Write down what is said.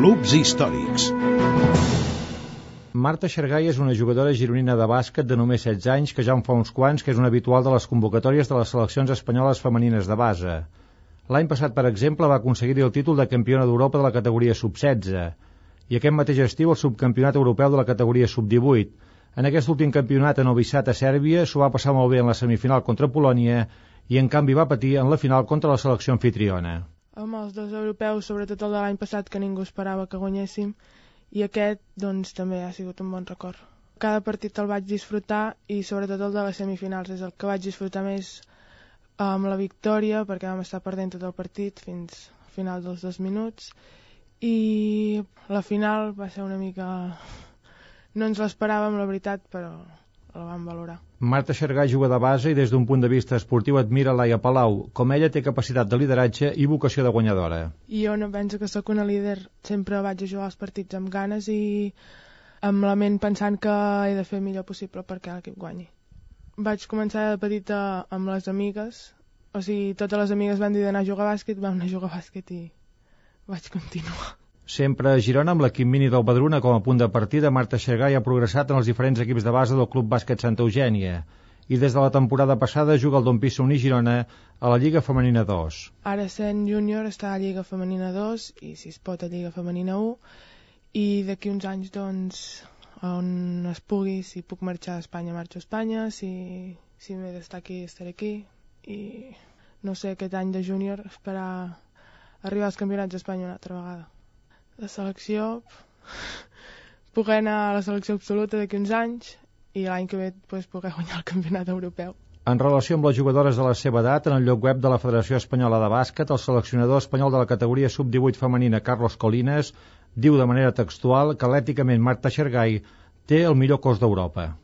Clubs històrics. Marta Xargay és una jugadora gironina de bàsquet de només 16 anys que ja en fa uns quants que és una habitual de les convocatòries de les seleccions espanyoles femenines de base. L'any passat, per exemple, va aconseguir el títol de campiona d'Europa de la categoria sub-16 i aquest mateix estiu el subcampionat europeu de la categoria sub-18. En aquest últim campionat a Novi Sad, a Sèrbia, s'ho va passar molt bé en la semifinal contra Polònia i en canvi va patir en la final contra la selecció anfitriona. Amb els dos europeus, sobretot el de l'any passat, que ningú esperava que guanyéssim, i aquest, doncs, també ha sigut un bon record. Cada partit el vaig disfrutar i sobretot el de les semifinals és el que vaig disfrutar més amb la victòria, perquè vam estar perdent tot el partit fins al final dels 2 minuts, i la final va ser una mica... No ens l'esperàvem, la veritat, però la vam valorar. Marta Xargay juga de base i des d'un punt de vista esportiu admira Laia Palau. Com ella té capacitat de lideratge i vocació de guanyadora. I jo no penso que sóc una líder. Sempre vaig a jugar els partits amb ganes i amb la ment pensant que he de fer el millor possible perquè l'equip guanyi. Vaig començar de petita amb les amigues. O sigui, totes les amigues van dir d'anar a jugar a bàsquet, vam anar a jugar a bàsquet i vaig continuar. Sempre a Girona, amb l'equip mini del Badruna com a punt de partida, Marta Xargay ha progressat en els diferents equips de base del Club Bàsquet Santa Eugènia i des de la temporada passada juga al Don Pisa Uní Girona a la Lliga Femenina 2. Ara sent júnior està a Lliga Femenina 2 i si es pot a Lliga Femenina 1 i d'aquí uns anys doncs on es pugui, si puc marxar a Espanya marxo a Espanya, si m'he d'estar aquí estaré aquí i no sé, aquest any de júnior esperar arribar als campionats d'Espanya una altra vegada. La selecció, poder anar a la selecció absoluta d'aquí uns anys i l'any que ve poder guanyar el campionat europeu. En relació amb les jugadores de la seva edat, en el lloc web de la Federació Espanyola de Bàsquet, el seleccionador espanyol de la categoria sub-18 femenina, Carlos Colines, diu de manera textual que atlèticament Marta Xargay té el millor cos d'Europa.